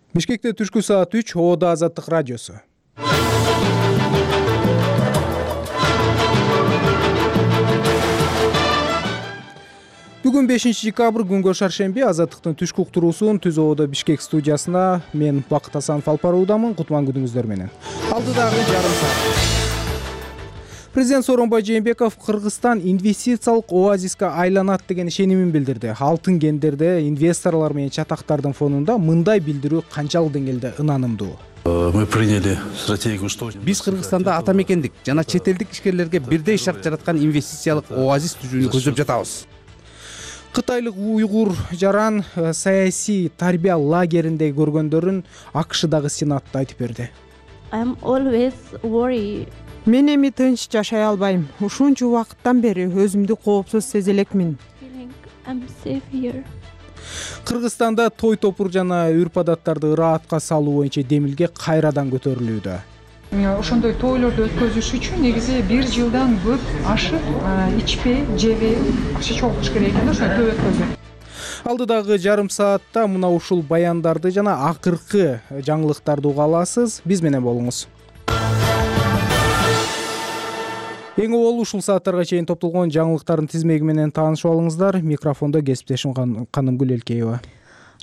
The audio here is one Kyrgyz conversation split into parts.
Бишкекте түшкү саат 3 ООД Азаттык радиосу. Бүгүн 5-декабрь күнгө шаршемби. Азаттыктын түшкү уктуруусун Түз ООД Бишкек студиясына мен Бакыт Асанов алып баруудамын. Кутман күнүңүздөр менен. Алдыдагы жарым саат. Президент Сооронбай Жээнбеков Кыргызстан инвестициялык оазиске айланат деген ишенимин билдирди. Алтын кендерде инвесторлор менен чатактардын фонунда мындай билдирүү канчалык деңгээлде ынанымдуу? Мы приняли стратегию, что биз Кыргызстанда ата мекендик жана чет элдик ишкерлерге бирдей шарт жараткан инвестициялык оазис түзүүнү көздөп жатабыз. Кытайлык уйгур жаран саясий тарбия лагеринде көргөндөрүн АКШдагы сенатта айтып берди. I'm always worried. Мен эми тынч жашай албайм. Ушунча убакыттан бери өзүмдү коопсуз сезе элекмин. I'm safe here. Кыргызстанда той топур жана үрп адаттарды ыраатка салуу боюнча демилге кайрадан көтөрүлүүдө. Ошондой тойлорду өткөзүш үчүн негизи 1 жылдан көп ашык ичпей, жебей акча чогултуш керек экен да, ошону той өткөзүп. Алдыдагы жарым саатта мына ушул баяндарды жана акыркы жаңылыктарды уга аласыз. Биз менен болуңуз. Эң обол ушул сааттарга чейин топтолгон жаңылыктардын тизмеги менен таанышып алыңыздар. Микрофондо кесиптешим Канымгүл Элкеева.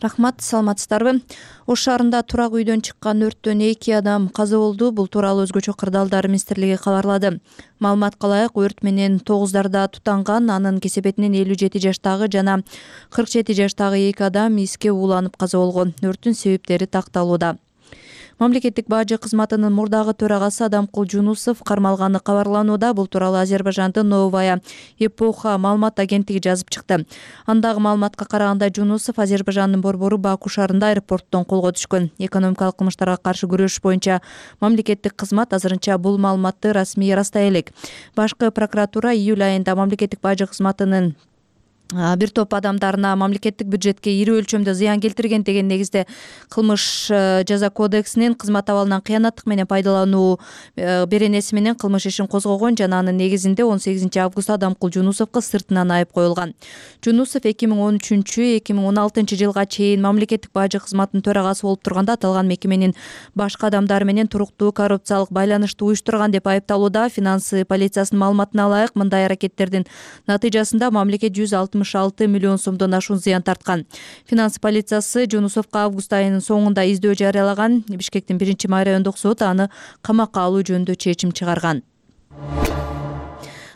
Рахмат, саламатсыздарбы? Ош шаарында турак үйдөн чыккан өрттөн 2 адам каза болду. Бул тууралуу Өзгөчө кырдаалдар министрлиги кабарлады. Маалыматка ылайык, өрт менен 9дарда тутанган, анын кесепетинен 57 жаштагы жана 47 жаштагы 2 адам иске ууланып каза болгон. Өрттүн себептери такталууда. Мамлекеттик бажы кызматынын мурдагы төрагасы Адамкул Жунусов кармалганы кабарланууда. Бул тууралуу Азербайжандын Новая Эпоха маалымат агенттиги жазып чыкты. Андагы маалыматка караганда Жунусов Азербайжандын борбору Баку шаарында аэропорттон колго түшкөн. Экономикалык кылмыштарга каршы күрөш боюнча мамлекеттик кызмат азырынча бул маалыматты расмий ырастай элек. Башкы прокуратура июль айында мамлекеттик бажы кызматынын бир топ адамдарына мамлекеттик бюджетке ири өлчөмдө зыян келтирген деген негизде кылмыш жаза кодексинин кызмат абалынан кыянаттык менен пайдалануу беренеси менен кылмыш ишин козгогон жана анын негизинде 18 августта Адамкул Жунусовго сыртынан айып коюлган. Жунусов 2013-2016 жылга чейин мамлекеттик бажы кызматынын төрагасы болуп турганда аталган мекеменин башка адамдар менен туруктуу коррупциялык байланышты уюштурган деп айыпталууда. Финансы полициясынын маалыматына ылайык, мындай аракеттердин натыйжасында мамлекет 166 миллион сомдон ашуун зыян тарткан. Финансы полициясы Жунусовго август айынын соңунда издөө жарыялаган. Бишкектин 1-май райондук соты аны камакка алуу жөнүндө чечим чыгарган.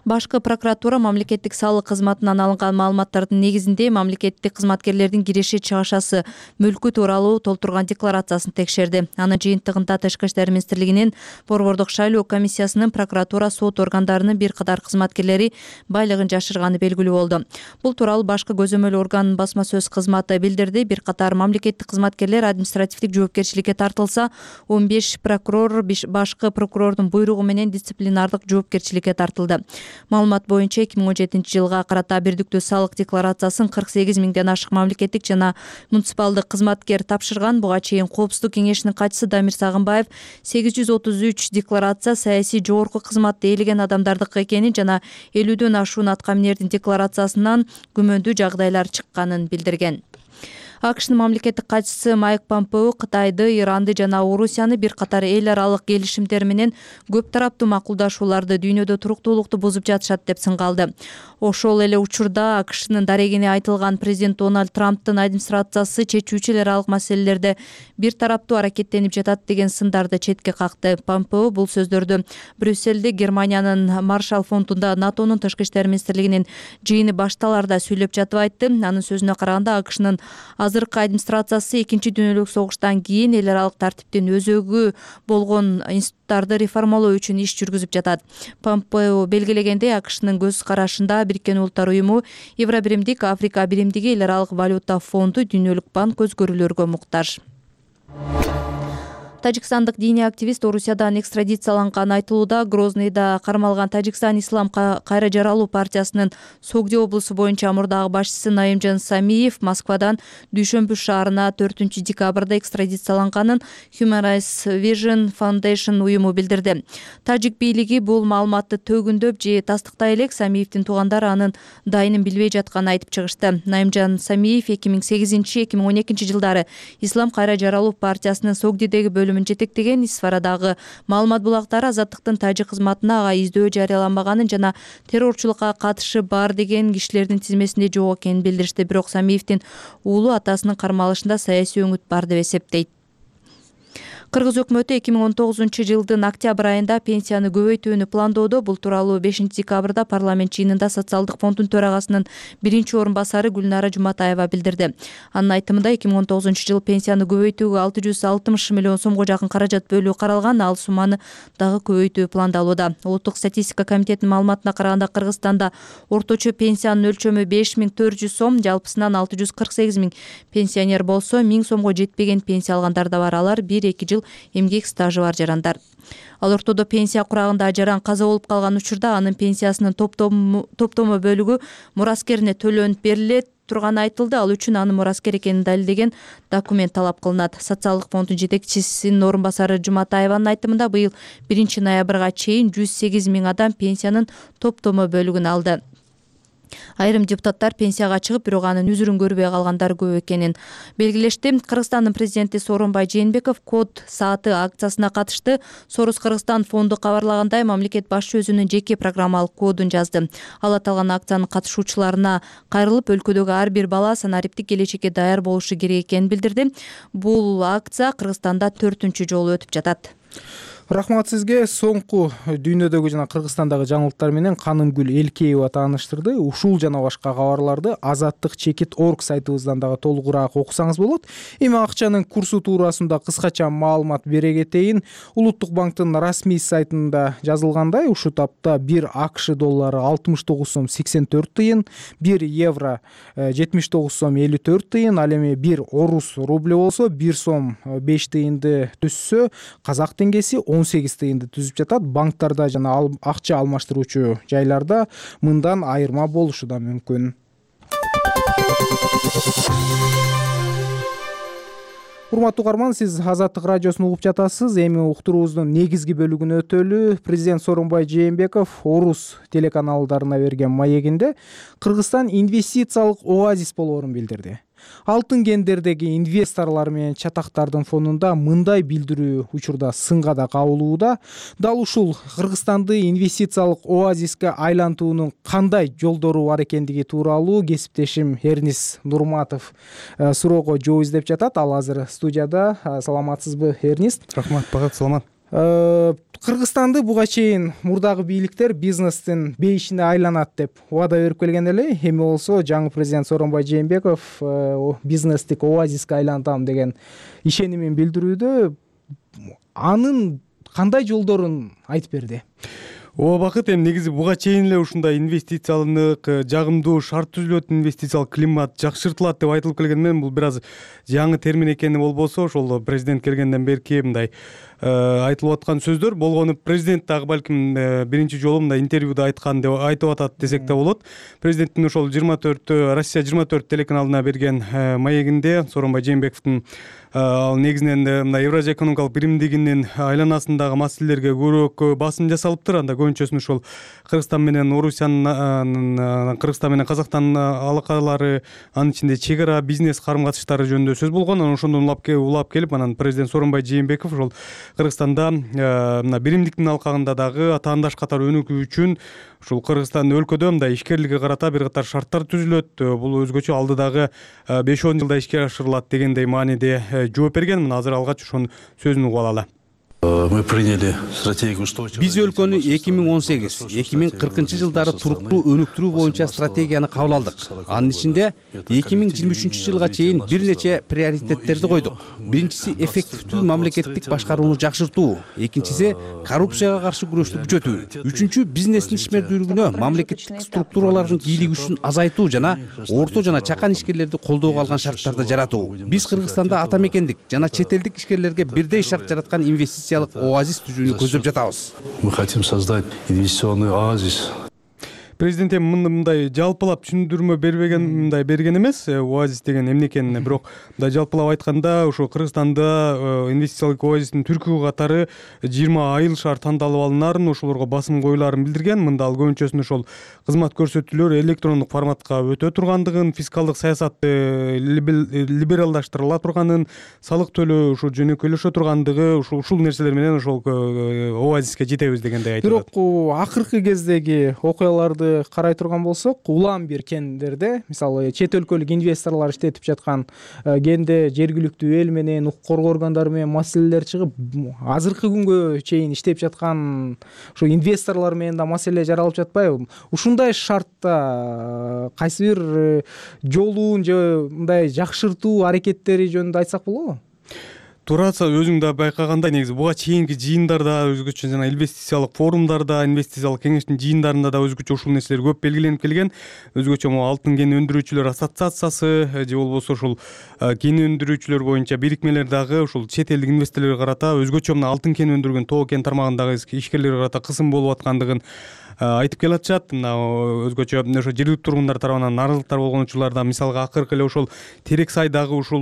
Башкы прокуратура мамлекеттик салык кызматынан алынган маалыматтардын негизинде мамлекеттик кызматкерлердин кириши чыгашасы мүлкү тууралуу толтурган декларациясын текшерди. Анын жыйынтыгында Тышкы иштер министрлигинин борбордук шайлоо комиссиясынын прокуратура сот органдарынын бир катар кызматкерлери байлыгын жашырганы белгилүү болду. Бул тууралуу башкы көзөмөл органынын басма сөз кызматы билдирди. Бир катар мамлекеттик кызматкерлер административдик жоопкерчиликке тартылса, 15 прокурор башкы прокурордун буйругу менен дисциплинардык жоопкерчиликке тартылды. Маалымат боюнча 2017 жылга карата бирдиктүү салык декларациясын 48 миңден ашык мамлекеттик жана муниципалдык кызматкер тапшырган. Буга чейин Коопсуздук кеңешинин катчысы Дамир Сагынбаев 833 декларация саясий жогорку кызматты ээлеген адамдардыкы экенин жана 50дөн ашуун аткаминердин декларациясынан күмөндүү жагдайлар чыкканын билдирген. АКШнын мамлекеттик катчысы Майк Помпео Кытайды, Иранды жана Орусияны бир катар эл аралык келишимдер менен көп тараптуу макулдашууларды дүйнөдө туруктуулукту бузуп жатышат деп сынгалды. Ошол эле учурда АКШнын дарегине айтылган президент Дональд Трамптын администрациясы чечүүчү эл аралык маселелерде бир тараптуу аракеттенип жатат деген сындарды четке какты. Помпео бул сөздөрдү Брюссельде Германиянын Маршалл фондунда НАТОнун тышкы иштер министрлигинин жыйыны башталарда сүйлөп жатып айтты. Анын сөзүнө караганда АКШнын азыркы администрациясы Экинчи дүйнөлүк согуштан кийин эл аралык тартиптин өзөгү болгон институттарды реформалоо үчүн иш жүргүзүп жатат. Помпео белгилегендей, АКШнын көз карашында Бириккен Улуттар уюму, Евробиримдик, Африка биримдиги, эл аралык валюта фонду, Дүйнөлүк банк көзкөрүүлөргө муктаж. Тажикстандык диний активист Орусиядан экстрадицияланганы айтылууда. Грознийда кармалган Тажикстан Ислам кайра жаралуу партиясынын Согди облусу боюнча мурдагы башчысы Наимжан Самиев Москвадан Дүйшөмбү шаарына 4 декабрда экстрадицияланганын Human Rights Vision Foundation уюму билдирди. Тажик бийлиги бул маалыматты төгүндөп же тастыктай элек Самиевдин туугандары анын дайынын билбей жатканын айтып чыгышты. Наимжан Самиев 2008-2012 жылдары Ислам кайра жаралуу партиясынын Согдидеги бөлүмүн жетектеген. Исфарадагы маалымат булактары азаттыктын тажик кызматына ага издөө жарыяланбаганын жана террорчулукка катышы бар деген кишилердин тизмесинде жок экенин билдиришти. Бирок Самиевдин уулу атасынын кармалышында саясий өңүт бар деп эсептейт. Кыргыз өкмөтү 2019 жылдын октябрь айында пенсияны көбөйтүүнү пландоодо. Бул тууралуу 5 декабрда парламент жыйынында социалдык фонддун төрагасынын биринчи орун басары Гүлнара Жуматаева билдирди. Анын айтымында 2019 жыл пенсияны көбөйтүүгө 660 миллион сомго жакын каражат бөлүү каралган. Ал сумманы дагы көбөйтүү пландалууда. Улуттук статистика комитетинин маалыматына караганда Кыргызстанда орточо пенсиянын өлчөмү 5400 сом, жалпысынан 648 миң пенсионер болсо, 1000 сомго жетпеген пенсия алгандар да бар. Алар 1-2 жыл эмгек стажы бар жарандар. Ал ортодо пенсия курагында жаран каза болуп калган учурда анын пенсиясынын топтомо бөлүгү мураскерине төлөнүп берилет турганы айтылды. Ал үчүн анын мураскер экенин далилдеген документ талап кылынат. Социалдык фонддун жетекчисинин орун басары Жуматаеванын айтымында быйыл 1 ноябрга чейин 108 миң адам пенсиянын топтомо бөлүгүн алды. Айрым депутаттар пенсияга чыгып, бирок анын үзүрүн көрбөй калгандар көп экенин белгилешти. Кыргызстандын президенти Сооронбай Жээнбеков код сааты акциясына катышты. Сорус Кыргызстан фонду кабарлагандай, мамлекет башчы өзүнүн жеке программалык кодун жазды. Ал аталган акциянын катышуучуларына кайрылып, өлкөдөгү ар бир бала санариптик келечекке даяр болушу керек экенин билдирди. Бул акция Кыргызстанда 4-үнчү жолу өтүп жатат. Рахмат сизге. Соңку дүйнөдөгү жана Кыргызстандагы жаңылыктар менен Канымгүл Элкеева тааныштырды. Ушул жана башка кабарларды azattik.org сайтыбыздан дагы толугураак окусаңыз болот. Эми акчанын курсу туурасында кыскача маалымат бере кетейин. Улуттук банктын расмий сайтында жазылгандай, ушул тапта 1 АКШ доллары 69 сом 84 тыйын, 1 евро 79 сом 54 тыйын, ал эми 1 орус рубль болсо 1 сом 5 тыйынды түзсө, казак теңгеси 18 тыйынды түзүп жатат. Банктарда жана акча алмаштыруучу жайларда мындан айырма болушу да мүмкүн. Урматтуу угарман, сиз Азаттык радиосун угуп жатасыз. Эми уктуруубуздун негизги бөлүгүнө өтөлү. Президент Сооронбай Жээнбеков Орус телеканалдарына берген маегинде Кыргызстан инвестициялык оазис болоорун билдирди. Алтын кендердеги инвесторлор менен чатактардын фонунда мындай билдирүү учурда сынга да кабылууда. Дал ушул Кыргызстанды инвестициялык оазиске айлантуунун кандай жолдору бар экендиги тууралуу кесиптешим Эрнис Нурматов суроого жооп издеп жатат. Ал азыр студияда. Саламатсызбы, Эрнис? Рахмат, багат, саламат. Кыргызстанды буга чейин мурдагы бийликтер бизнестин бейишине айланат деп убада берип келген эле. Эми болсо жаңы президент Сооронбай Жээнбеков бизнестик оазиске айлантам деген ишенимин билдирүүдө. Анын кандай жолдорун айтып берди? Бакыт, эми негизи буга чейин эле ушундай инвестициялык жагымдуу шарт түзүлөт, инвестициялык климат жакшыртылат деп айтылып келген менен бул бир аз жаңы термин экени болбосо, ошол президент келгенден берки мындай айтылып аткан сөздөр болгону. Президент дагы балким биринчи жолу мындай интервьюда айткан деп айтып атат десек да болот. Президенттин ошол Россия 24 телеканалына берген маегинде Сооронбай Жээнбековдун ал негизинен мына Евразия экономикалык биримдигинин айланасындагы маселелерге көбүрөөк басым жасалыптыр. Анда көбүнчөсүн ошол Кыргызстан менен Орусиянын, Кыргызстан менен Казакстан алакалары, анын ичинде чек ара бизнес карым катыштары жөнүндө сөз болгон. Анан ошондон улап келип, анан президент Сооронбай Жээнбеков ошол Кыргызстанда мына биримдиктин алкагында дагы атаандаш катары өнүгүү үчүн ушул Кыргызстан өлкөдө мындай ишкерликке карата бир катар шарттар түзүлөт. Бул өзгөчө алдыдагы 5-10 жылда ишке ашырылат дегендей мааниде жооп берген. Мына азыр алгач ошонун сөзүн угуп алалы. Мы приняли стратегию устойчивого. Биз өлкөнү 2018-2040 жылдары туруктуу өнүктүрүү боюнча стратегияны кабыл алдык. Анын ичинде 2023 жылга чейин бир нече приоритеттерди койдук. Биринчиси эффективдүү мамлекеттик башкарууну жакшыртуу, экинчиси коррупцияга каршы күрөштү күчөтүү, үчүнчү бизнестин ишмердүүлүгүнө мамлекеттик структуралардын бийлиги күчүн азайтуу жана орто жана чакан ишкерлерди колдоого алган шарттарды жаратуу. Биз Кыргызстанда ата мекендик жана чет элдик ишкерлерге бирдей шарт жараткан инвестициялык оазис түзүүнү көздөп жатабыз. Мы хотим создать инвестиционный оазис. Президент эми мындай жалпылап түшүндүрмө берген эмес оазис деген эмне экенин, бирок мындай жалпылап айтканда ошо Кыргызстанда инвестициялык оазистин түркү катары 20 айыл шаар тандалып алынарын, ошолорго басым коюларын билдирген. Мында ал көбүнчөсүн ошол кызмат көрсөтүүлөр электрондук форматка өтө тургандыгын, фискалдык саясатты либералдаштырыла турганын, салык төлөө ушу жөнөкөйлөшө тургандыгы, ушул нерселер менен ошол оазиске жетебиз дегендей айтылат. Бирок акыркы кездеги окуяларды карай турган болсок, улам бир кендерде, мисалы чет өлкөлүк инвесторлор иштетип жаткан кенде жергиликтүү эл менен, укук коргоо органдары менен маселелер чыгып, азыркы күнгө чейин иштеп жаткан ошо инвесторлор менен да маселе жаралып жатпайбы? Ушундай шартта кайсы бир жолун же мындай жакшыртуу аракеттери жөнүндө айтсак болобу? Тураса өзүң да байкагандай, негизи буга чейинки жыйындарда өзгөчө жана инвестициялык форумдарда, инвестициялык кеңештин жыйындарында да өзгөчө ушул нерселер көп белгиленип келген. Өзгөчө алтын кен өндүрүүчүлөр ассоциациясы же болбосо ушул кен өндүрүүчүлөр боюнча бирикмелер дагы ушул чет элдик инвесторлорго карата өзгөчө мына алтын кен өндүргөн Тоо кен тармагындагы ишкерлерге карата кысым болуп аткандыгын айтып келатышат. Мына өзгөчө ошо жергиликтүү тургундар тарабынан нааразылыктар болгон учурларда, мисалга акыркы эле ошол Терексайдагы ушул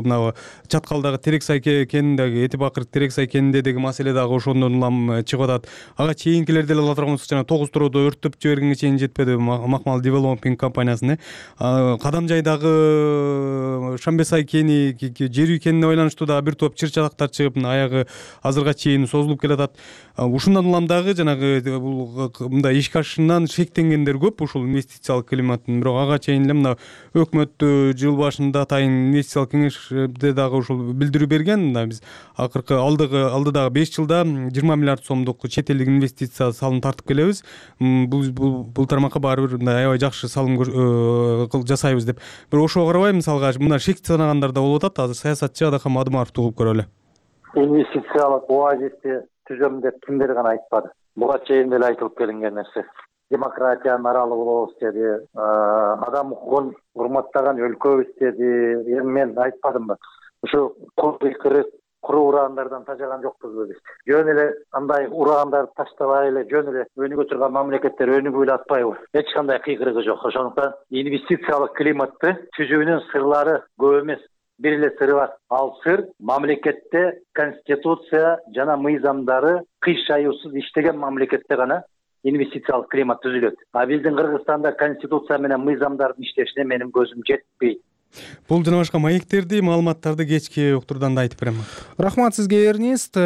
мына Чаткалдагы Терексай кениндеги Эти Бакыр Терексай кенинде маселе дагы ошондон улам чыгып атат. Ага чейинкилерди эле ала турган болсок, жана 9 туроодо өрттөп жибергенге чейин жетпеди Макмал Development компаниясын. Кадамжайдагы Шамбесай кени, жер үй кенине байланыштуу дагы бир топ чыр-чатактар чыгып, аягы азырга чейин созулуп келатат. Ушундан улам дагы жанагы бул мындай ишке ашышынан шектенгендер көп ушул инвестициялык климаттын. Бирок ага чейин эле мына өкмөт жыл башында атайын инвестициялык кеңеште дагы ушул билдирүү берген. Мына биз акыркы алдыдагы 5 жылда 20 миллиард сомдук чет элдик инвестиция салым тартып келебиз. Бул тармакка баары бир мындай аябай жакшы салым жасайбыз деп. Бирок ошого карабай, мисалга мына шек санагандар да болуп атат. Азыр саясатчы Адакам Адымаровду угуп көрөлү. Инвестициялык оазисти түзөм деп кимдер гана айтпады. Буга чейин деле айтылып келинген нерсе. Демократиянын аралы болобуз деди, адам укугун урматтаган өлкөбүз деди. Эми мен айтпадымбы? Ушу кырык куру урагандардан тажаган жокпузбу биз? Жөн эле андай урагандарды таштабай эле жөн эле өнүгө турган мамлекеттер өнүгүп эле атпайбы? Эч кандай кыйкырыгы жок. Ошондуктан инвестициялык климатты түзүүнүн сырлары көп эмес. Бир эле сыры бар. Ал сыр мамлекетте конституция жана мыйзамдары кыйшаюусуз иштеген мамлекетте гана инвестициялык климат түзүлөт. А биздин Кыргызстанда конституция менен мыйзамдардын иштешине менин көзүм жетпейт. Бул жана башка маектерди, маалыматтарды кечки уктурдан да айтып берем. Рахмат сизге, Эрнист.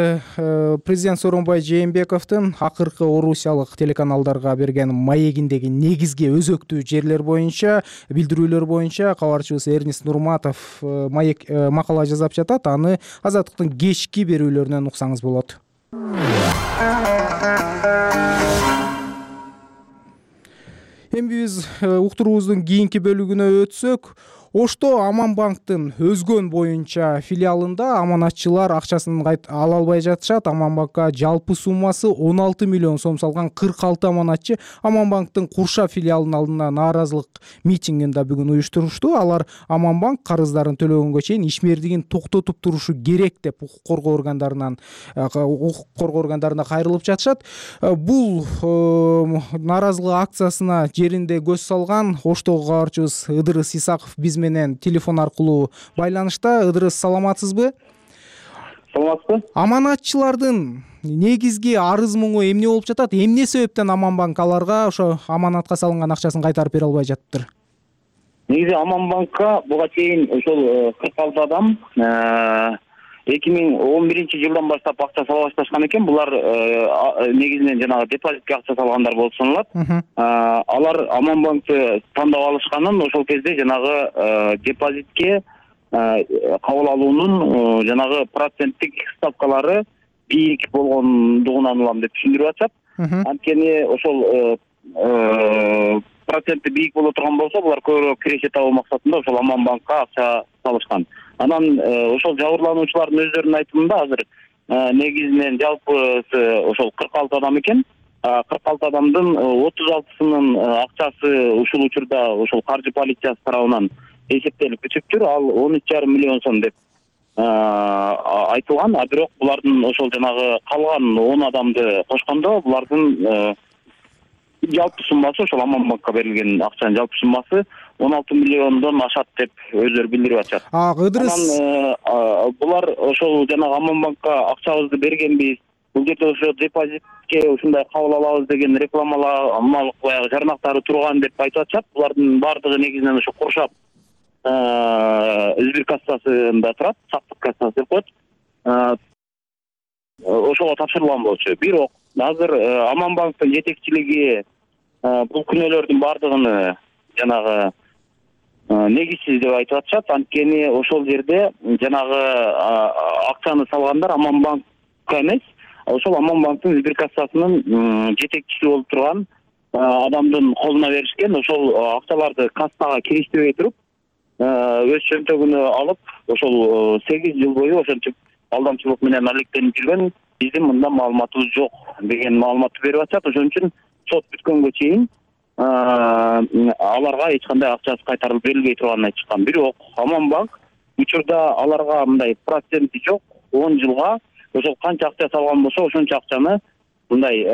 Президент Сооронбай Жээнбековдун акыркы орусиялык телеканалдарга берген маегиндеги негизги өзөктүү жерлер боюнча, билдирүүлөр боюнча кабарчыбыз Эрнист Нурматов маек макала жазап жатат. Аны Азаттыктын кечки берүүлөрүнөн уксаңыз болот. Эми биз уктуруубуздун кийинки бөлүгүнө өтсөк, Ошто Аманбанктын өзгөн боюнча филиалында аманатчылар акчасын ала албай жатышат. Аманбанкка жалпы суммасы 16 миллион сом салган 46 аманатчы Аманбанктын Курша филиалынын алдына нааразылык митингин да бүгүн уюштурушту. Алар Аманбанк карыздарын төлөгөнгө чейин ишмердигин токтотуп турушу керек деп укук коргоо органдарына кайрылып жатышат. Бул нааразылык акциясына жеринде көз салган Оштогу кабарчыбыз Ыдырыс Исаков биз менен телефон аркылуу байланышта. Ыдырыс, саламатсызбы? Саламатсызбы? Аманатчылардын негизги арыз муңу эмне болуп жатат? Эмне себептен Аманбанк аларга ошо аманатка салынган акчасын кайтарып бере албай жатыптыр? Негизи Аманбанкка буга чейин ошол 46 адам 2011 жылдан баштап акча сала башташкан экен. Булар негизинен жанагы депозитке акча салгандар болуп саналат. Алар Аманбанкты тандап алышканын ошол кезде жанагы депозитке кабыл алуунун жанагы проценттик ставкалары бийик болгондугунан улам деп түшүндүрүп атышат. Анткени ошол проценти бийик боло турган болсо, булар көбүрөөк киреше табуу максатында ошол Аман банкка акча салышкан. Анан ошол жабырлануучулардын өздөрүнүн айтымында азыр негизинен жалпысы ошол 46 адам экен. 46 адамдын 36сынын акчасы ушул учурда ошол каржы полициясы тарабынан эсептелип бүтүптүр. Ал 13,5 миллион сом деп айтылган. Бирок булардын ошол жанагы калган 10 адамды кошкондо булардын жалпы суммасы, ошол Аман банкка берилген акчанын жалпы суммасы 16 миллиондон ашат деп өздөрү билдирип атышат. Анан булар ошол жанагы Аман банкка акчабызды бергенбиз, бул жерде ошо депозитке ушундай кабыл алабыз деген рекламалык баягы жарнактары турган деп айтып атышат. Булардын баардыгы негизинен ошо Куршап Избир кассасында турат, сактык кассасы деп коет. Ошого тапшырылган болчу. Бирок азыр Аман банктын жетекчилиги бул күнөөлөрдүн баардыгын жанагы негизсиз деп айтып атышат. Анткени ошол жерде жанагы акчаны салгандар Аман банкка эмес, ошол Аман банктын Избир кассасынын жетекчиси болуп турган адамдын колуна беришкен. Ошол акчаларды кассага кириштирбей туруп, өз чөнтөгүнө алып, ошол 8 жыл бою ошентип алдамчылык менен алектенип жүргөн, биздин мында маалыматыбыз жок деген маалыматты берип атышат. Ошон үчүн сот бүткөнгө чейин аларга эч кандай акчасы кайтарылып берилбей турганын айтышкан. Бирок Аман банк учурда аларга мындай проценти жок, 10 жылга ошол канча акча салган болсо, ошончо акчаны мындай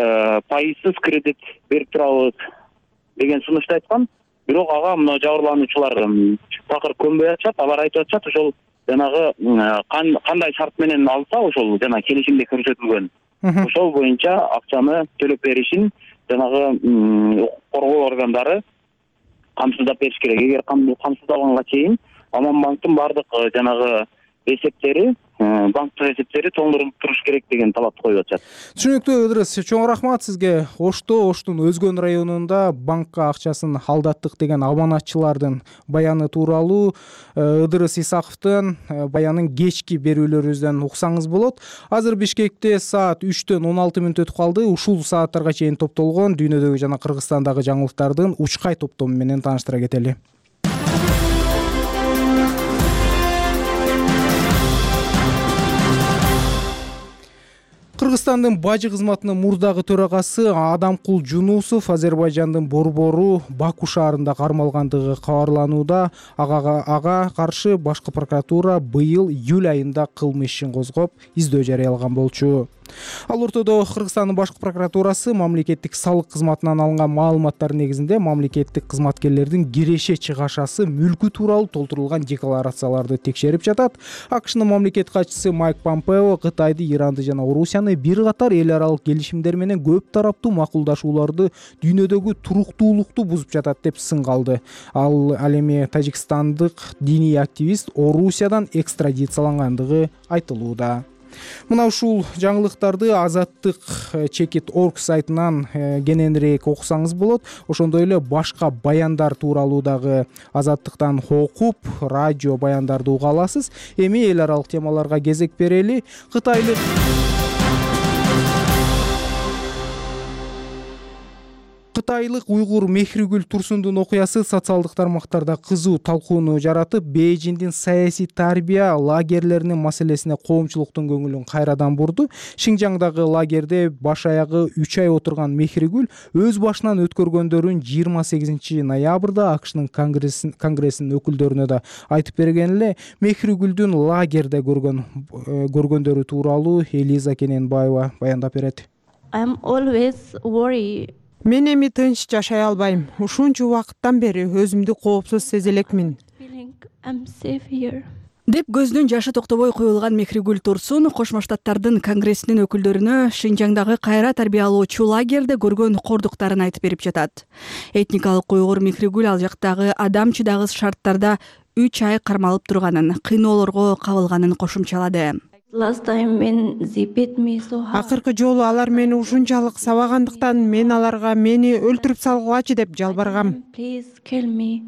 пайызсыз кредит берип турабыз деген сунушту айткан. Бирок ага мына жабырлануучулар такыр көнбөй атышат. Алар айтып атышат, ошол жанагы кандай шарт менен алса, ошол жана келишимде көрсөтүлгөн, ошол боюнча акчаны төлөп беришин жанагы укук коргоо органдары камсыздап бериш керек. Эгер камсыздалганга чейин Аман банктын баардык жанагы эсептери, банктык эсептери тоңдурулуп туруш керек деген талапты коюп атышат. Түшүнүктүү Ыдырыс, чоң рахмат сизге. Оштун Өзгөн районунда банкка акчасын алдаттык деген аманатчылардын баяны тууралуу Ыдырыс Исаковдун баянын кечки берүүлөрүбүздөн уксаңыз болот. Азыр Бишкекте саат 3:16 өтүп калды. Ушул сааттарга чейин топтолгон дүйнөдөгү жана Кыргызстандагы жаңылыктардын учкай топтому менен тааныштыра кетели. Кыргызстандын бажы кызматынын мурдагы төрагасы Адамкул Жунусов Азербайжандын борбору Баку шаарында кармалгандыгы кабарланууда. Ага каршы башкы прокуратура быйыл июль айында кылмыш ишин козгоп, издөө жарыялаган болчу. Ал ортодо Кыргызстандын башкы прокуратурасы мамлекеттик салык кызматынан алынган маалыматтар негизинде мамлекеттик кызматкерлердин киреше чыгашасы мүлкү тууралуу толтурулган декларацияларды текшерип жатат. АКШнын мамлекет катчысы Майк Помпео Кытайды, Иранды жана Орусияны бир катар эл аралык келишимдер менен көп тараптуу макулдашууларды дүйнөдөгү туруктуулукту бузуп жатат деп сынга алды. Ал эми тажикстандык диний активист Орусиядан экстрадициялангандыгы айтылууда. Мына ушул жаңылыктарды Азаттык.org сайтынан кененирээк окусаңыз болот. Ошондой эле башка баяндар тууралуу дагы Азаттыктан окуп, радио баяндарды уга аласыз. Эми эл аралык темаларга кезек берели. Кытайлык уйгур Мехригүл Турсундун окуясы социалдык тармактарда кызуу талкууну жаратып, Бейжиңдин саясий тарбия лагерлеринин маселесине коомчулуктун көңүлүн кайрадан бурду. Шинжаңдагы лагерде баш аягы 3 ай отурган Мехригүл өз башынан өткөргөндөрүн 28 ноябрда АКШнын конгрессинин өкүлдөрүнө да айтып берген эле. Мехригүлдүн лагерде көргөндөрү тууралуу Элиза Кененбаева баяндап берет. I'm always worried. Мен эми тынч жашай албайм. Ушунча убакыттан бери өзүмдү коопсуз сезе элекмин. Деп көздүн жашы токтобой коюлган Мехригүл Турсун Кошмо Штаттардын конгрессинин өкүлдөрүнө Шинжаңдагы кайра тарбиялоочу лагерде көргөн кордуктарын айтып берип жатат. Этникалык уйгур Мехригүл ал жактагы адам чыдагыс шарттарда 3 ай кармалып турганын, кыйноолорго кабылганын кошумчалады. Last time when they beat me so hard. Акыркы жолу алар мени ушунчалык сабагандыктан мен аларга мени өлтүрүп салгылачы деп жалбаргам. Please kill me.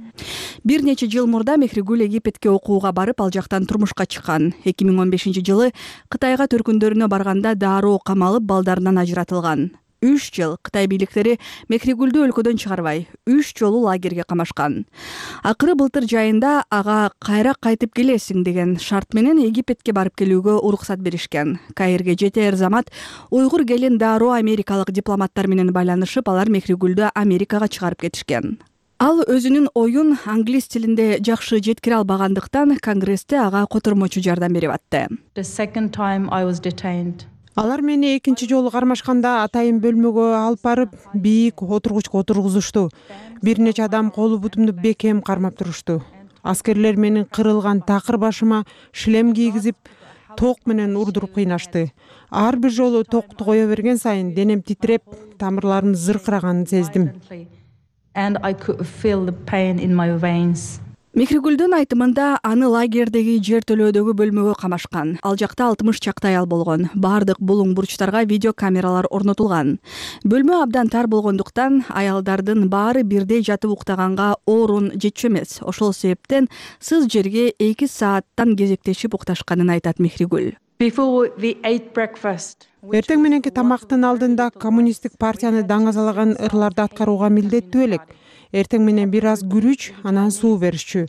Бир нече жыл мурда Мехригуль Египетке окууга барып, ал жактан турмушка чыккан. 2015-жылы Кытайга төркүндөрүнө барганда дароо камалып, балдарынан ажыратылган. 3 жыл Кытай бийликтери Мехригулду өлкөдөн чыгарбай, 3 жолу лагерге камашкан. Акыры былтыр жайында ага кайра кайтып келесиң деген шарт менен Египетке барып келүүгө уруксат беришкен. Каирге жетер замат уйгур келин дароо америкалык дипломаттар менен байланышып, алар Мехригулду Америкага чыгарып кетишкен. Ал өзүнүн оюн англис тилинде жакшы жеткире албагандыктан Конгрессте ага котормочу жардам берип атты. The second time I was detained. Алар мени экинчи жолу кармашканда атайын бөлмөгө алып барып, бийик отургучка отургузушту. Бир нече адам колу бутумду бекем кармап турушту. Аскерлер менин кырылган такыр башыма шлем кийгизип, ток менен урдуруп кыйнашты. Ар бир жолу токту кое берген сайын денем титиреп, тамырларым зыркыраганын сездим. And I could feel the pain in my veins. Мехригулдун айтымында аны лагердеги жер төлөөдөгү бөлмөгө камашкан. Ал жакта 60 чактай аял болгон. Бардык булуң бурчтарга видео камералар орнотулган. Бөлмө абдан тар болгондуктан аялдардын баары бирдей жатып уктаганга орун жетчү эмес. Ошол себептен сыз жерге 2 сааттан кезектешип укташканын айтат Мехригуль. Before we ate breakfast. Эртең мененки тамактын алдында коммунисттик партияны даңазалаган ырларды аткарууга милдеттүү элек. Эртең менен бир аз күрүч, анан суу беришчү.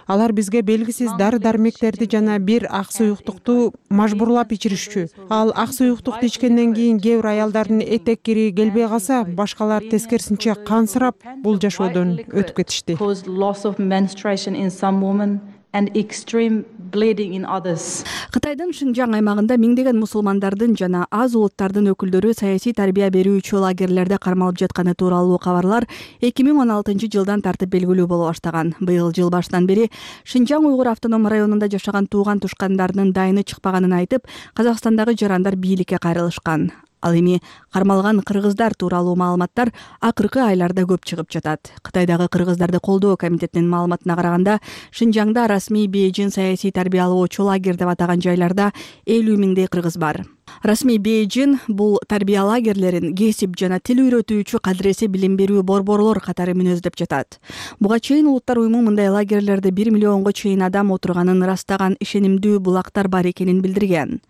Алар бизге белгисиз дары-дармектерди жана бир ак суюктукту мажбурлап ичиришчү. Ал ак суюктукту ичкенден кийин кээ бир аялдардын этек кири келбей калса, башкалар тескерисинче кансырап, бул жашоодон өтүп кетишти. Loss of menstruation in some women and extreme bleeding in others. Кытайдын Шинжаң аймагында миңдеген мусулмандардын жана аз улуттардын өкүлдөрү саясий тарбия берүүчү лагерлерде кармалып жатканы тууралуу кабарлар 2016-жылдан тартып белгилүү боло баштаган. Быйыл жыл башынан бери Шинжаң уйгур автоном районунда жашаган тууган тушкандарынын дайыны чыкпаганын айтып, Казакстандагы жарандар бийликке кайрылышкан. Ал эми кармалган кыргыздар тууралуу маалыматтар акыркы айларда көп чыгып жатат. Кытайдагы кыргыздарды колдоо комитетинин маалыматына караганда, Шинжаңда расмий Бейжин саясий тарбиялоочу лагерь деп атаган жайларда 50 миңдей кыргыз бар. Расмий Бейжин бул тарбия лагерлерин кесип жана тил үйрөтүүчү кадыресе билим берүү борборлор катары мүнөздөп жатат. Буга чейин Улуттар уюму мындай лагерлерде 1 миллионго чейин адам отурганын ырастаган ишенимдүү булактар бар экенин билдирген.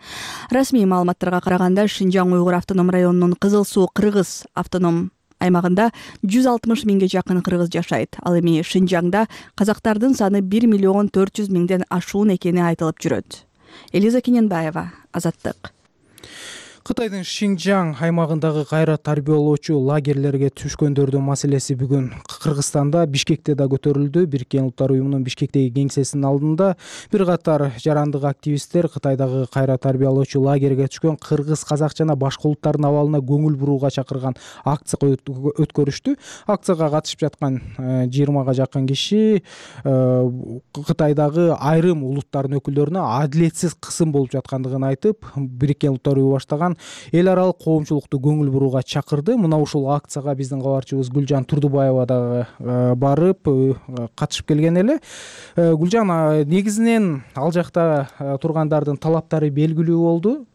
Расмий маалыматтарга караганда, Шинжаң уйгур автоном районунун Кызыл Суу кыргыз автоном аймагында 160 миңге жакын кыргыз жашайт. Ал эми Шинжаңда казактардын саны 1 миллион 400 миңден ашуун экени айтылып жүрөт. Элиза Кененбаева, Азаттык. Кытайдын Шинжаң аймагындагы кайра тарбиялоочу лагерлерге түшкөндөрдүн маселеси бүгүн Кыргызстанда Бишкекте да көтөрүлдү. Бириккен Улуттар уюмунун Бишкектеги кеңсесинин алдында бир катар жарандык активисттер Кытайдагы кайра тарбиялоочу лагерге түшкөн кыргыз, казак жана башка улуттардын абалына көңүл бурууга чакырган акция өткөрүштү. Акцияга катышып жаткан 20га жакын киши Кытайдагы айрым улуттардын өкүлдөрүнө адилетсиз кысым болуп жаткандыгын айтып, Бириккен Улуттар уюму баштаган эл аралык коомчулукту көңүл бурууга чакырды. Мына ушул акцияга биздин кабарчыбыз Гүлжан Турдубаева дагы барып катышып келген эле. Гүлжан, негизинен ал жакта тургандардын талаптары белгилүү болду.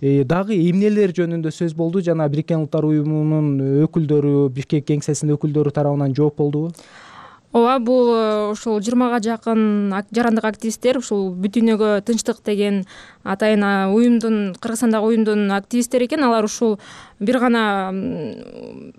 Дагы эмнелер жөнүндө сөз болду жана Бириккен Улуттар уюмунун өкүлдөрү, Бишкек кеңсесинин өкүлдөрү тарабынан жооп болдубу? Ооба, бул ушул 20га жакын жарандык активисттер, ушул Бүтүнөгө тынчтык деген атайын уюмдун, Кыргызстандагы уюмдун активисттери экен. Алар ушул бир гана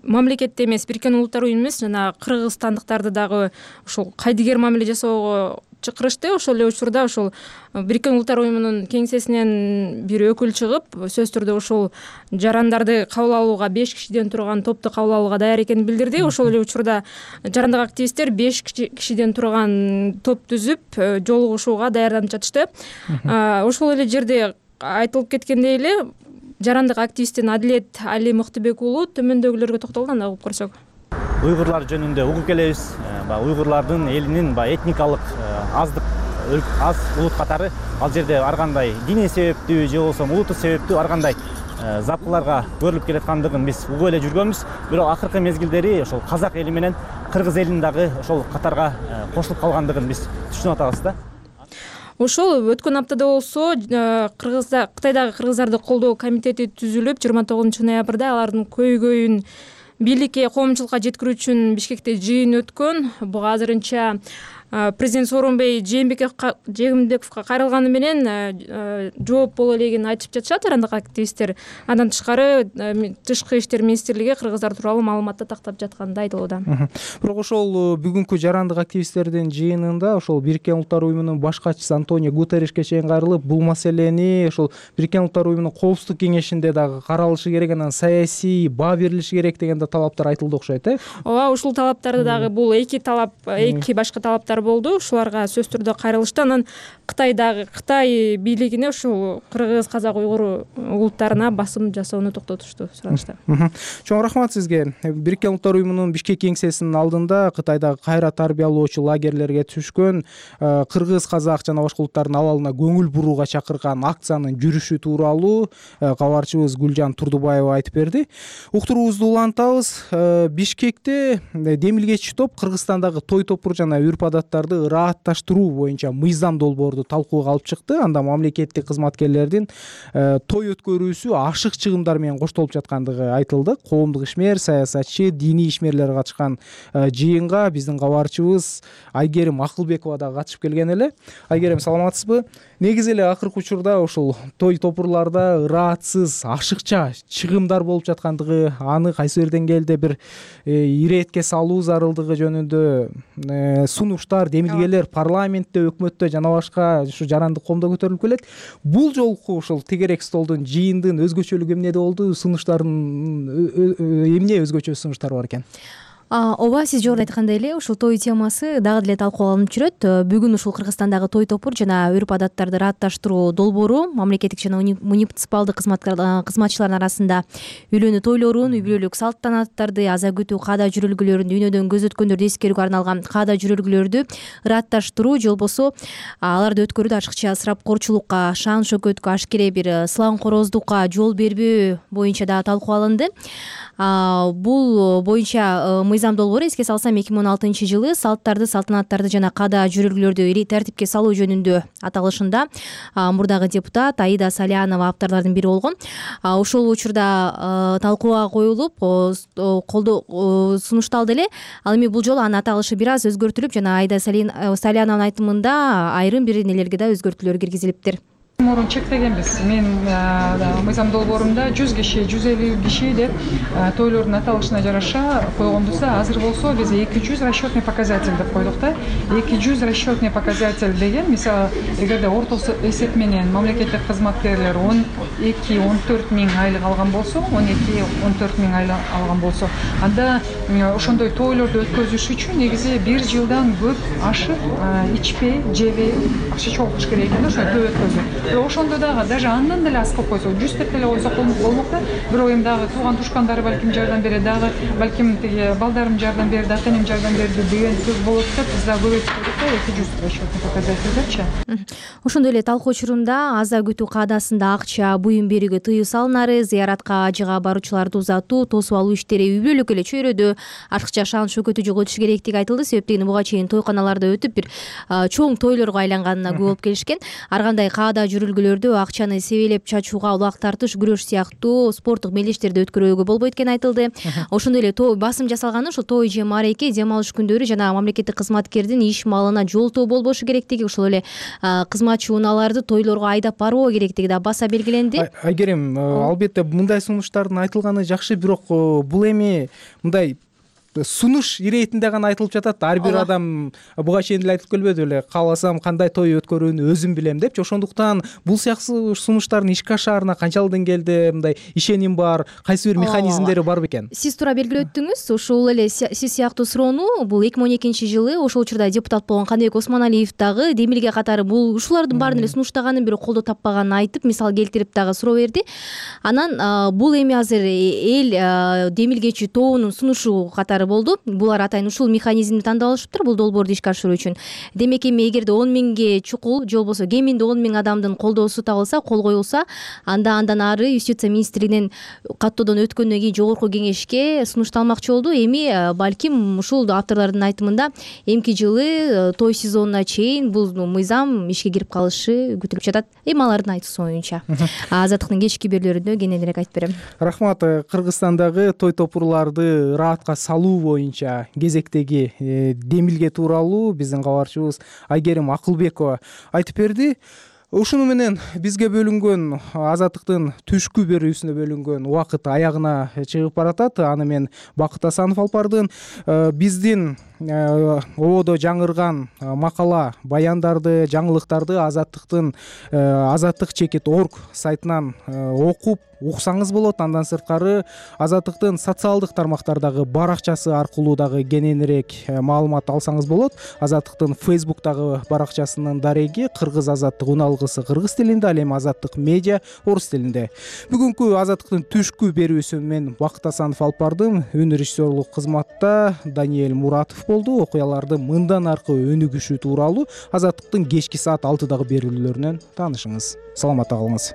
мамлекетте эмес, Бириккен Улуттар уюму эмес, жана кыргызстандыктарды дагы ушул кайдыгер мамиле жасоого чакырышты. Ошол эле учурда ушул Бириккен Улуттар уюмунун кеңсесинен бир өкүл чыгып, сөзсүз түрдө ушул жарандарды кабыл алууга 5 кишиден турган топту кабыл алууга даяр экенин билдирди. Ошол эле учурда жарандык активисттер 5 кишиден турган топ түзүп, жолугушууга даярданып жатышты. Ошол эле жерде айтылып кеткендей эле, жарандык активисттин Адилет Али Мыктыбек уулу төмөндөгүлөргө токтолду, анда угуп көрсөк. Уйгурлар жөнүндө угуп келебиз. Уйгурлардын элинин этникалык аз улут катары ал жерде ар кандай диний себептүү же болбосо улуттук себептүү ар кандай запкыларга көрүлүп келаткандыгын биз угуп эле жүргөнбүз. Бирок акыркы мезгилдери ошол казак эли менен кыргыз элинин дагы ошол катарга кошулуп калгандыгын биз түшүнүп атабыз да. ошол өткөн аптада болсо Кытайдагы кыргыздарды колдоо комитети түзүлүп 29 ноябрда алардын көйгөйүн бийликке, коомчулукка жеткирүү үчүн Бишкекте жыйын өткөн. Буга азырынча президент Сооронбай Жээнбековго кайрылганы менен жооп боло элегин айтып жатышат жарандык активисттер. Андан тышкары Тышкы иштер министрлиги кыргыздар тууралуу маалыматты тактап жатканы айтылууда. Бирок ошол бүгүнкү жарандык активисттердин жыйынында ошол Бириккен Улуттар Уюмунун баш катчысы Антонио Гутерришке чейин кайрылып, бул маселени ошол Бириккен Улуттар Уюмунун Коопсуздук кеңешинде дагы каралышы керек, анан саясий баа берилиши керек деген да талаптар айтылды окшойт, Ооба, ушул талаптарды дагы бул эки башка талаптар болду. Ушуларга сөзсүз түрдө кайрылышты. Анан Кытай бийлигине ушул кыргыз, казак, уйгур улуттарына басым жасоону токтотушту, сурашты. Чоң рахмат сизге. Бириккен Улуттар Уюмунун Бишкек кеңсесинин алдында Кытайдагы кайра тарбиялоочу лагерлерге түшкөн кыргыз, казак жана башка улуттардын абалына көңүл бурууга чакырган акциянын жүрүшү тууралуу кабарчыбыз Гүлжан Турдубаева айтып берди. Уктуруубузду улантабыз. Бишкекте демилгечи топ Кыргызстандагы той топур жана үрп адаттарды ыраатташтыруу боюнча мыйзам долбоорду талкууга алып чыкты. Анда мамлекеттик кызматкерлердин той өткөрүүсү ашык чыгымдар менен коштолуп жаткандыгы айтылды. Коомдук ишмер, саясатчы, диний ишмерлер катышкан жыйынга биздин кабарчыбыз Айгерим Акылбекова да катышып келген эле. Айгерим, саламатсызбы? Негизи эле акыркы учурда ушул той топурларда ыраатсыз, ашыкча чыгымдар болуп жаткандыгы, аны кайсы бир деңгээлде бир иретке салуу зарылдыгы жөнүндө сунуштар, демилгелер парламентте, өкмөттө жана башка ушу жарандык коомдо көтөрүлүп келет. Бул жолку ушул тегерек столдун жыйындын өзгөчөлүгү эмнеде болду? Сунуштардын эмне өзгөчө сунуштар бар экен? Ооба, сиз жогоруда айткандай эле ушул той темасы дагы деле талкууланып жүрөт. Бүгүн ушул Кыргызстандагы той топур жана үрп адаттарды ыраатташтыруу долбоору мамлекеттик жана муниципалдык кызматчылардын арасында үйлөнүү тойлорун, үй бүлөлүк салт-санаттарды, аза күтүү каада жүрүлгүлөрүн, дүйнөдөн көзөткөндөрдү эскерүүгө арналган каада жүрүлгүлөрдү ыраатташтыруу же болбосо аларды өткөрүүдө ашыкча ысырапкорчулукка, шаан шөкөткө, ашкере бир сылаңкороздукка жол бербөө боюнча дагы талкууланды. Бул боюнча мыйзам долбоору, эске салсам, 2016-жылы салттарды, салтанаттарды жана каада жүрүлгүлөрдү тартипке салуу жөнүндө аталышында мурдагы депутат Аида Салянова авторлордун бири болгон. Ошол учурда талкууга коюлуп, сунушталды эле. Ал эми бул жолу анын аталышы бир аз өзгөртүлүп, жана Аида Салянованын айтымында айрым бир нелерге да өзгөртүүлөр киргизилиптир. Мурун чектегенбиз. Мен мыйзам долбоорунда 100 киши, 150 киши деп тойлордун аталышына жараша койгонбуз да, азыр болсо биз 200 расчетный показатель деп койдук да. 200 расчетный показатель деген, мисалы, эгерде ортосу эсеп менен мамлекеттик кызматкерлер 12-14 миң айлык алган болсо, 12-14 миң айлык алган болсо, анда ошондой тойлорду өткөзүш үчүн негизи 1 жылдан көп ашык ичпей, жебей акча чогултуш керек экен да, ошондой той өткөзүп. Ошондо дагы даже андан деле аз кылып койсо, 100 деп эле койсок болмок да. Бирок эми дагы тууган тушкандары балким жардам берет, дагы балким тиги балдарым жардам берди, ата-энем жардам берди деген сөз болот деп биз дагы көбөйтүп койдук да, 200 расчетный показатель депчи. Ошондой эле талкуу учурунда аза күтүү каадасында акча, буюм берүүгө тыюу салынары, зыяратка, ажыга баруучуларды узатуу, тосуп алуу иштери үй бүлөлүк эле чөйрөдө ашыкча шаан шөкөтү жоготуш керектиги айтылды. Себеп дегени буга чейин тойканаларда өтүп бир чоң тойлорго айланганына күбө болуп келишкен. Ар кандай каада жүрүлгүлөрдү, акчаны себелеп чачууга, улак тартыш, күрөш сыяктуу спорттук мелдештерди өткөрүүгө болбойт экени айтылды. Ошондой эле басым жасалганы ошол той же маареке, дем алыш күндөрү жана мамлекеттик кызматкердин иш малына жолтоо болбошу керектиги, ошол эле кызматчы унааларды тойлорго айдап барбоо керектиги да баса белгиленди. Айгерим, албетте мындай сунуштардын айтылганы жакшы, бирок бул эми мындай сунуш иретинде гана айтылып жатат. Ар бир адам буга чейин деле айтып келбеди беле, кааласам кандай той өткөрүүнү өзүм билем депчи. Ошондуктан бул сыяктуу сунуштардын ишке ашаарына канчалык деңгээлде мындай ишеним бар, кайсы бир механизмдери бар бекен? Сиз туура белгилеп өттүңүз. Ушул эле сиз сыяктуу суроону бул 2012-жылы ошол учурда депутат болгон Каныбек Осмоналиев дагы демилге катары бул ушулардын баарын эле сунуштаганын, бирок колдоо таппаганын айтып, мисал келтирип дагы суроо берди. Анан бул эми азыр эл демилгечи тобунун сунушу катары болду. Булар атайын ушул механизмди тандап алышыптыр бул долбоорду ишке ашыруу үчүн. Демек эми эгерде 10 миңге чукул же болбосо кеминде 10 миң адамдын колдоосу табылса, кол коюлса, андан ары юстиция министрлигинин каттоодон өткөндөн кийин жогорку кеңешке сунушталмакчы болду. Эми балким ушул авторлордун айтымында эмки жылы той сезонуна чейин бул мыйзам ишке кирип калышы күтүлүп жатат. Эми алардын айтуусу боюнча. Азаттыктын кечки берүүлөрүндө кененирээк айтып берем. Рахмат. Кыргызстандагы той топурларды ыраатка салуу боюнча кезектеги демилге тууралуу биздин кабарчыбыз Айгерим Акылбекова айтып берди. Ушуну менен бизге бөлүнгөн Азаттыктын түшкү берүүсүнө бөлүнгөн убакыт аягына чыгып баратат. Аны мен Бакыт Асанов алып бардым. Биздин ободо жаңырган макала, баяндарды, жаңылыктарды Азаттыктын azattik.org сайтынан окуп уксаңыз болот. Андан сырткары Азаттыктын социалдык тармактардагы баракчасы аркылуу дагы кененирээк маалымат алсаңыз болот. Азаттыктын Facebook'тагы баракчасынын дареги Кыргыз Азаттык уналгысы кыргыз тилинде, ал эми Азаттык медиа орус тилинде. Бүгүнкү Азаттыктын түшкү берүүсүн мен Бакыт Асанов алып бардым. Үн режиссерлук кызматта Даниэль Муратов болду. Окуяларды мындан аркы өнүгүшү тууралуу Азаттыктын кечки саат 6дагы берүүлөрүнөн таанышыңыз. Саламатта калыңыз.